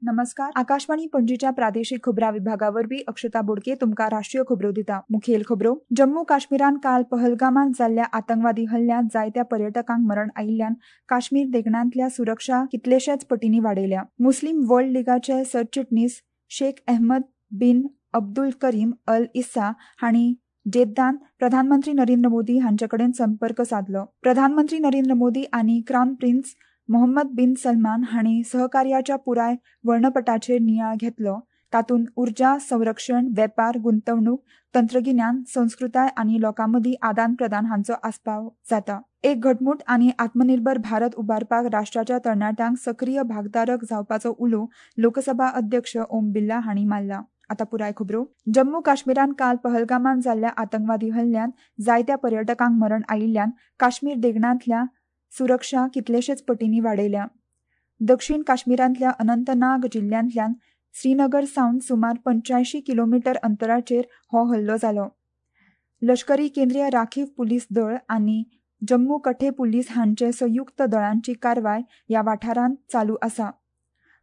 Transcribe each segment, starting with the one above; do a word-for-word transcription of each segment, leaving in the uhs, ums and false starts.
नमस्कार, आकाशवाणी पणजीच्या प्रादेशिक खबरा विभागावरवी अक्षता बोडके तुमकां राष्ट्रीय खबरो दिता. मुखेल खबरो. जम्मू काश्मीरान काल पहलगामांत जाल्ल्या आतंकवादी हल्ल्यांत जायत्या पर्यटकांक मरण आयिल्ल्यान काश्मीर देगणांतल्या सुरक्षा कितलेशेच पटींनी वाडयल्या. मुस्लीम वर्ल्ड लिगाचे सरचिटणीस शेख अहमद बिन अब्दुल करीम अल इस्सा हांणी जेद्दान प्रधानमंत्री नरेंद्र मोदी हांचे कडेन संपर्क सादलो. प्रधानमंत्री नरेंद्र मोदी आनी crown prince Mohammed bin Salman हांणी सहकार्याच्या पुराय वर्णपटाचेर नियाळ घेतलो. तातूंत उर्जा, संरक्षण, वेपार, गुंतवणूक, तंत्रगिन्यान, संस्कृताय आनी लोकांमदीं आदान प्रदान हांचो आस्पाव जाता. एक घटमूट आनी आत्मनिर्भर भारत उबारपाक राष्ट्राच्या तरणाट्यांक सक्रीय भागधारक जावपाचो उलो लोकसभा अध्यक्ष ओम बिर्ला हांणी मारला. आता पुराय खबरो. जम्मू काश्मीरान काल पहलगामांत जाल्ल्या आतंकवादी हल्ल्यांत जायत्या पर्यटकांक मरण आयिल्ल्यान काश्मीर देगणांतल्या सुरक्षा कितलेशेच पटींनी वाडयल्या. दक्षिण काश्मीरांतल्या अनंतनाग जिल्ल्यांतल्यान श्रीनगर सावन सुमार पंच्यायशीं किलोमिटर अंतराचेर हो हल्लो जालो. लश्करी केंद्रीय राखीव पुलीस दळ आनी जम्मू कठे पुलीस हांचे संयुक्त दळांची कारवाय ह्या वाठारांत चालू आसा.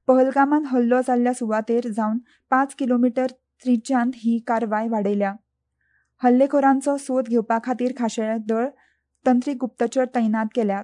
पहलगामांत हल्लो जाल्ल्या सुवातेर जावन पांच किलोमिटर त्रिज्यांत ही कारवाय वाडयल्या. हल्लेखोरांचो सोद घेवपा खातीर खाशेले दळ, तंत्रीक गुप्तचर तैनात केल्यात.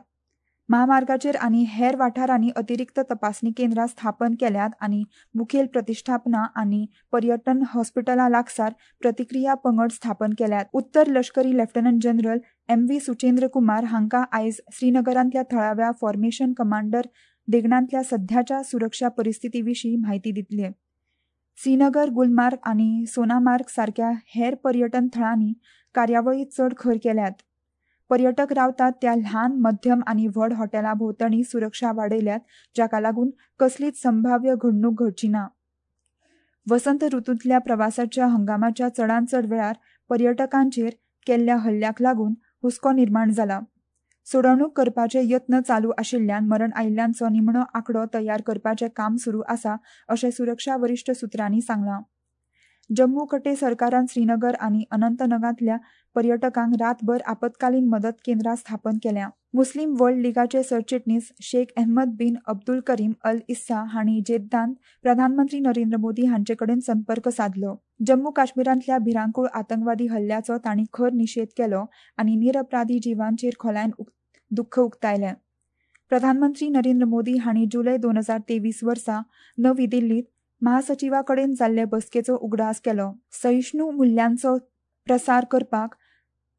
म्हामार्गाचेर आनी हेर वाठारांनी अतिरिक्त तपासणी केंद्रां स्थापन केल्यात आनी मुखेल प्रतिश्ठापना आनी पर्यटन हॉस्पिटला लागसार प्रतिक्रिया पंगड स्थापन केल्यात. उत्तर लश्करी lieutenant general M V Suchendra Kumar हांकां आयज श्रीनगरांतल्या थळाव्या फॉर्मेशन कमांडर देगणांतल्या सध्याच्या सुरक्षा परिस्थिती विशीं म्हायती दितले. श्रीनगर, गुलमार्ग आनी सोनामार्ग सारक्या हेर पर्यटन थळांनी कार्यावळी चड खर केल्यात. पर्यटक रावतात त्या ल्हान, मध्यम आनी व्हड हॉटेला भोंवतणी सुरक्षा वाडयल्यात, जाका लागून कसलीच संभाव्य घडणूक घडची ना. वसंत ऋतूंतल्या प्रवासाच्या हंगामाच्या चडांत चड वेळार पर्यटकांचेर केल्ल्या हल्ल्याक लागून हुस्को निर्माण जाला. सोडवणूक करपाचे यत्न चालू आशिल्ल्यान मरण आयिल्ल्यांचो निमणो आंकडो तयार करपाचें काम सुरू आसा अशें सुरक्षा वरिश्ठ सुत्रांनी सांगलां. जम्मू कटे सरकारान श्रीनगर आनी अनंतनागांतल्या पर्यटकांक रातभर आपत्कालीन मदत केंद्रां स्थापन केल्या. मुस्लीम वर्ल्ड लिगाचे सरचिटणीस शेख अहमद बिन अब्दुल करीम अल इस्सा हांणी जेद्दान प्रधानमंत्री नरेंद्र मोदी हांचे कडेन संपर्क सादलो. जम्मू काश्मीरांतल्या भिरांकूळ आतंकवादी हल्ल्याचो तांणी खर निशेध केलो आनी निरपराधी जिवांचेर खोलायेन दुख्ख उक्तायलें. प्रधानमंत्री नरेंद्र मोदी हांणी जुलय दोन हजार तेवीस वर्सा नवी दिल्लीत महासचिवा कडेन जाल्ले बसकेचो उगडास केलो. सहिष्णू मुल्यांचो प्रसार करपाक,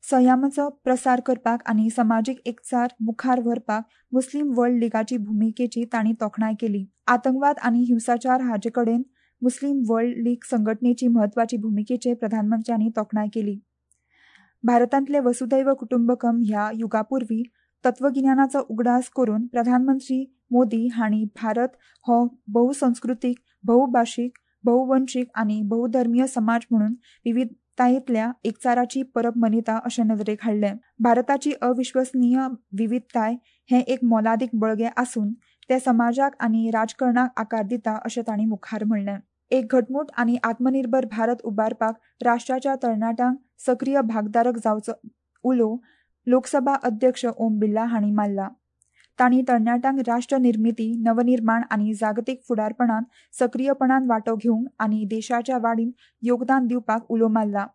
संयमाचो प्रसार करपाक आनी समाजीक एकचार मुखार व्हरपाक मुस्लीम वर्ल्ड लिगाची भुमिकेची तांणी तोखणाय केली. आतंकवाद आनी हिंसाचार हाचे कडेन मुस्लीम वर्ल्ड लीग संघटनेची म्हत्वाची भुमिकेचे प्रधानमंत्र्यांनी तोखणाय केली. भारतांतले वसुधैव कुटुंबकम ह्या युगापूर्वी तत्वगिन्यानाचो उगडास करून प्रधानमंत्री मोदी हांणी भारत हो बहुसंस्कृतीक, बहुभाशीक, बहुवंशीक आनी बहुधर्मीय समाज म्हणून विविधतायेंतल्या एकचाराची परब मनयता अशें नदरेक हाडलें. भारताची अविश्वसनीय विविधताय हें एक मोलादीक बळगें आसून तें समाजाक आनी राजकारणाक आकार दिता अशें तांणी मुखार म्हणलें. एक घटमूट आनी आत्मनिर्भर भारत उबारपाक राष्ट्राच्या तरणाट्यांक सक्रीय भागधारक जावचो उलो लोकसभा अध्यक्ष ओम बिर्ला हांणी मारला. तांणी तरणाट्यांक राष्ट्र निर्मिती, नवनिर्माण आनी जागतीक फुडारपणान सक्रीयपणान वांटो घेवंक आनी देशाच्या वाडीन योगदान दिवपाक उलो मारला.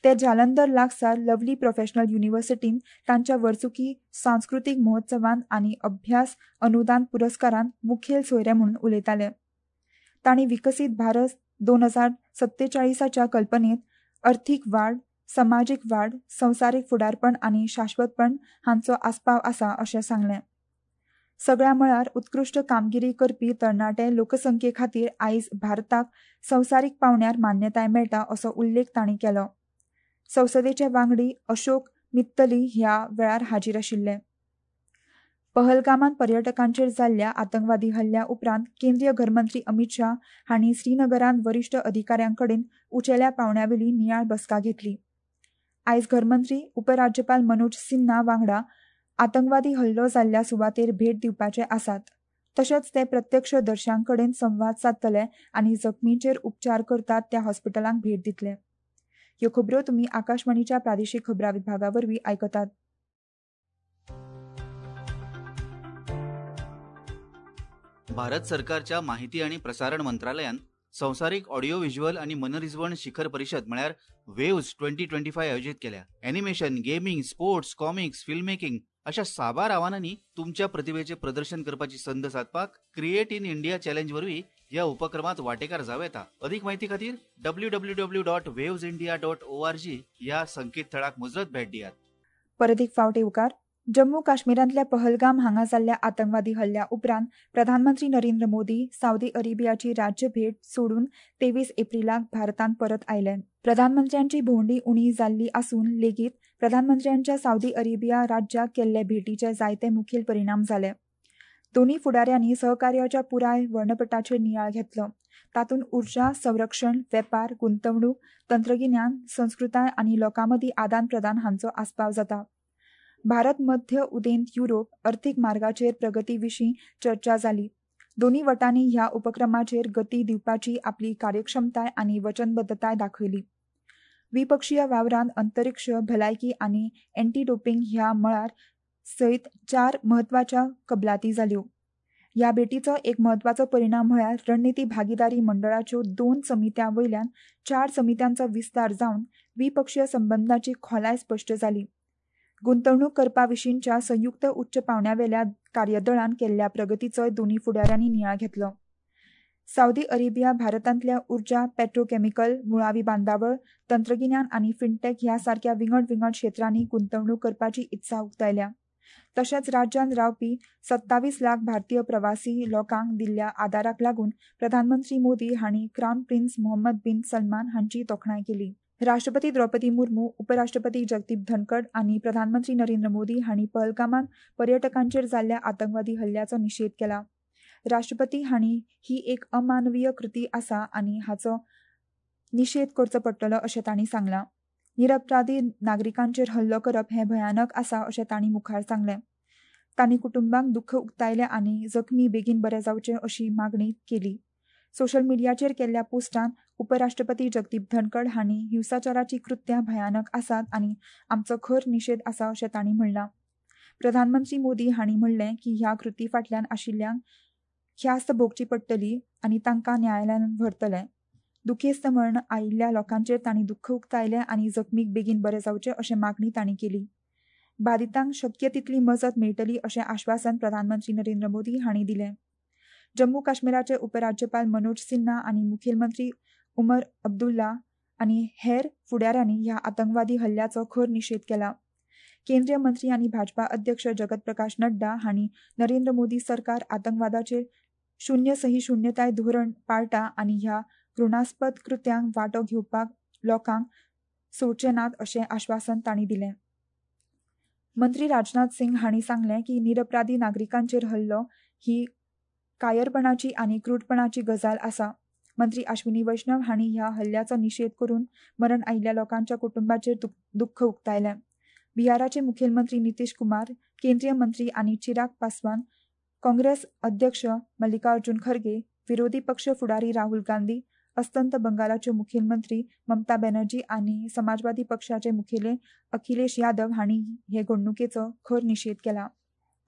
ते जालंधर लागसार लवली प्रोफेशनल युनिव्हर्सिटीन तांच्या वर्सुकी सांस्कृतीक महोत्सवान आनी अभ्यास अनुदान पुरस्कारान मुखेल सोयरे म्हणून उलयताले. तांणी विकसीत भारत दोन हजार सत्तेचाळीसाच्या कल्पनेत अर्थीक वाड, समाजीक वाड, संवसारीक फुडारपण आनी शाश्वतपण हांचो आस्पाव आसा अशें सांगलें. सगळ्या मळार उत्कृश्ट कामगिरी करपी तरणाटे लोकसंख्ये खातीर आयज भारताक संवसारीक पावंड्यार मान्यताय मेळटा असो उल्लेख तांणी केलो. संसदेचे वांगडी अशोक मित्तली ह्या वेळार हाजीर आशिल्ले. पहलगामांत पर्यटकांचेर जाल्ल्या आतंकवादी हल्ल्या उपरांत केंद्रीय घरमंत्री अमित शाह हांणी श्रीनगरांत वरिश्ठ अधिकाऱ्यां कडेन उंचेल्या पावंड्यावेली नियाळ बसका घेतली. आयज घरमंत्री उपराज्यपाल मनोज सिन्हा वांगडा आतंकवादी हल्लो जाल्ल्या सुवातेर भेट दिवपाचे आसात. तशेंच ते प्रत्यक्ष दर्श्यां कडेन संवाद सादतले आनी जखमींचेर उपचार करतात त्या हॉस्पिटलांक भेट दितले. ह्यो खबरो तुमी आकाशवाणीच्या प्रादेशीक खबरां विभागा वरवीं आयकतात. भारत सरकारच्या माहिती आणि प्रसारण मंत्रालयान संवसारीक ऑडिओ व्हिज्युअल आणि मनरिजवण शिखर परिषद म्हळ्यार वेव्ज ट्वेंटी ट्वेंटी फाय आयोजीत केल्या. Animation, gaming, sports, comics, film making अशा साबार आव्हानांनी तुमच्या प्रतिभेचे प्रदर्शन करपाची संद सादपाक क्रिएट इन इंडिया चॅलेंज वरवीं ह्या उपक्रमात वांटेकार जावं येता. अदीक म्हायती खातीर W W W dot waves India dot O R G ह्या संकेतथळाक मुजरत भेट दियात. परत एक फावट येवकार. जम्मू काश्मीरांतल्या पहलगाम हांगा जाल्ल्या आतंकवादी हल्ल्या उपरांत प्रधानमंत्री नरेंद्र मोदी सावदी अरेबियाची राज्य भेट सोडून तेवीस एप्रिलाक भारतांत परत आयले. प्रधानमंत्र्यांची भोंवडी उणी जाल्ली आसून लेगीत प्रधानमंत्र्यांच्या सावदी अरेबिया राज्याक केल्ले भेटीचे जायते मुखेल परिणाम जाले. दोन्ही फुडाऱ्यांनी सहकार्याच्या पुराय वर्णपटाचेर नियाळ घेतलो. तातूंत उर्जा, संरक्षण, वेपार, गुंतवणूक, तंत्रगिन्यान, संस्कृताय आनी लोकांमदीं आदान प्रदान हांचो आस्पाव जाता. भारत मध्य उदेंत युरोप अर्थीक मार्गाचेर प्रगती विशीं चर्चा जाली. दोन्ही वटांनी ह्या उपक्रमाचेर गती दिवपाची आपली कार्यक्षमताय आनी वचनबद्धताय दाखयली. द्विपक्षीय वावरांत अंतरिक्ष, भलायकी आनी एंटी डोपिंग ह्या मळार सयत चार म्हत्वाच्या कबलाती जाल्यो. ह्या भेटीचो एक म्हत्वाचो परिणाम म्हळ्यार रणनिती भागीदारी मंडळाच्यो दोन समित्यां वयल्यान चार समित्यांचो विस्तार जावन द्विपक्षीय संबंदांची खोलाय स्पश्ट जाली. गुंतवणूक करपा विशींच्या संयुक्त उच्च पावंड्यावेल्या कार्यदळान केल्ल्या प्रगतीचोय दोन्ही फुडाऱ्यांनी नियाळ घेतलो. सावदी अरेबिया भारतांतल्या उर्जा, पेट्रोकेमिकल, मुळावी बांदावळ, तंत्रगिन्यान आनी फिनटेक ह्या सारक्या विंगड विंगड क्षेत्रांनी गुंतवणूक करपाची इत्सा उक्तायल्या. तशेंच राज्यांत रावपी सत्तावीस लाख भारतीय प्रवासी लोकांक दिल्ल्या आदाराक लागून प्रधानमंत्री मोदी हांणी crown prince Mohammed bin Salman हांची तोखणाय केली. राष्ट्रपती द्रौपदी मुर्मू, उपराष्ट्रपती जगदीप धनखड आनी प्रधानमंत्री नरेंद्र मोदी हांणी पहलगामांत पर्यटकांचेर जाल्ल्या आतंकवादी हल्ल्याचो निशेध केला. राष्ट्रपती हांणी ही एक अमानवीय कृती आसा आनी हाचो निशेध करचो पडटलो अशें तांणी सांगलां. निरपराधी नागरिकांचेर हल्लो करप हें भयानक आसा अशें तांणी मुखार सांगलें. तांणी कुटुंबांक दुख्ख उक्तायलें आनी जखमी बेगीन बरे जावचे अशी मागणी केली. सोशल मिडियाचेर केल्ल्या पोस्टान उपराष्ट्रपती जगदीप धनखड हांणी हिंसाचाराची कृत्यां भयानक आसात आनी आमचो खर निशेध आसा अशें तांणी म्हणलां. प्रधानमंत्री मोदी हांणी म्हणलें की ह्या कृती फाटल्यान आशिल्ल्यांक ख्यास्त भोगची पडटली आनी तांकां न्यायालयान व्हरतले. दुखेस्त मरण आयिल्ल्या लोकांचेर तांणी दुख्ख उक्तायलें आनी जखमीक बेगीन बरे जावचे अशें मागणी तांणी केली. बादितांक शक्य तितली मजत मेळटली अशें आश्वासन प्रधानमंत्री नरेंद्र मोदी हांणी दिलें. जम्मू काश्मीराचे उपराज्यपाल मनोज सिन्हा आनी मुखेलमंत्री उमर अब्दुल्ला आनी हेर फुडाऱ्यांनी ह्या आतंकवादी हल्ल्याचो खर निशेध केला. केंद्रीय मंत्री आनी भाजपा अध्यक्ष जगत प्रकाश नड्डा हांणी नरेंद्र मोदी सरकार आतंकवादाचेर शून्य सहिष्णुताय धोरण पाळटा आनी ह्या घृणास्पद कृत्यांक वांटो घेवपाक लोकांक सोडचे नात अशें आश्वासन तांणी दिलें. मंत्री राजनाथ सिंग हांणी सांगलें की निरपराधी नागरिकांचेर हल्लो ही कायरपणाची आनी क्रूरपणाची गजाल आसा. मंत्री अश्विनी वैष्णव हांणी ह्या हल्ल्याचो निशेध करून मरण आयिल्ल्या लोकांच्या कुटुंबाचेर दुख्ख उक्तायलें. बिहाराचे मुखेलमंत्री नितीश कुमार, केंद्रीय मंत्री आनी चिराग पासवान, काँग्रेस अध्यक्ष मल्लिकार्जुन खरगे, विरोधी पक्ष फुडारी राहुल गांधी, अस्तंत बंगालाच्यो मुखेलमंत्री ममता बॅनर्जी आनी समाजवादी पक्षाचे मुखेले अखिलेश यादव हांणी हे घडणुकेचो खर निशेध केला.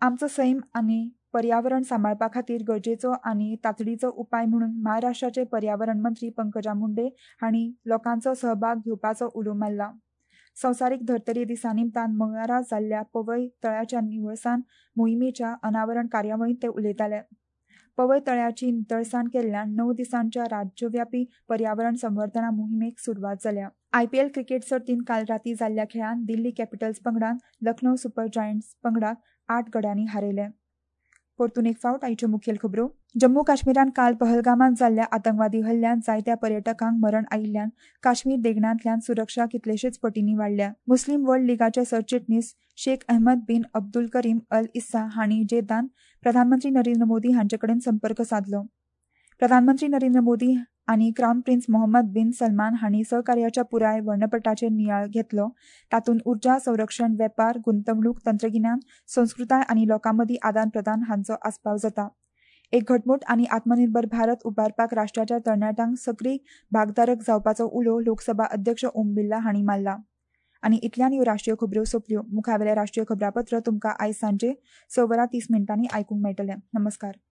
आमचो सैम आनी पर्यावरण सांबाळपा खातीर गरजेचो आनी तातडीचो उपाय म्हणून महाराष्ट्राचे पर्यावरण मंत्री पंकजा मुंडे हांणी लोकांचो सहभाग घेवपाचो उलो मारला. संवसारीक धर्तरी दिसा निमतान मंगळारा जाल्ल्या पवय तळ्याच्या निवळसाण मोहिमेच्या अनावरण कार्यावळींत ते उलयताले. पवय तळ्याची नितळसाण केल्ल्यान णव दिसांच्या राज्यव्यापी पर्यावरण संवर्धना मोहिमेक सुरवात जाल्या. आयपीएल क्रिकेट सर्तींत काल राती जाल्ल्या खेळांत दिल्ली कॅपिटल्स पंगडान लखनौ सुपर जायंट्स पंगडाक आठ गड्यांनी हारयले. परतून एक फावट आयच्यो मुखेल खबरो. जम्मू काश्मीरांत काल पहलगामांत जाल्ल्या आतंकवादी हल्ल्यांत जायत्या पर्यटकांक मरण आयिल्ल्यान काश्मीर देगणांतल्यान सुरक्षा कितलेशेच पटींनी वाडल्या. मुस्लीम वर्ल्ड लिगाचे सरचिटणीस Sheikh Ahmed bin Abdul Karim Al Issa हांणी जेदान प्रधानमंत्री नरेंद्र मोदी हांचे कडेन संपर्क सादलो. प्रधानमंत्री नरेंद्र मोदी आनी crown prince Mohammed bin Salman हांणी सहकार्याच्या पुराय वर्णपटाचेर नियाळ घेतलो. तातूंत उर्जा, संरक्षण, वेपार, गुंतवणूक, तंत्रगिन्यान, संस्कृताय आनी लोकांमदीं आदान प्रदान हांचो आस्पाव जाता. एक घटमूट आनी आत्मनिर्भर भारत उबारपाक राष्ट्राच्या तरणाट्यांक सक्रीय भागधारक जावपाचो उलो लोकसभा अध्यक्ष ओम बिर्ला हांणी मारला. आनी इतल्यान ह्यो राष्ट्रीय खबऱ्यो सोंपल्यो. मुखावेलें राष्ट्रीय खबरापत्र तुमकां आयज सांजे स वरां तीस मिनटांनी आयकूंक मेळटलें. नमस्कार.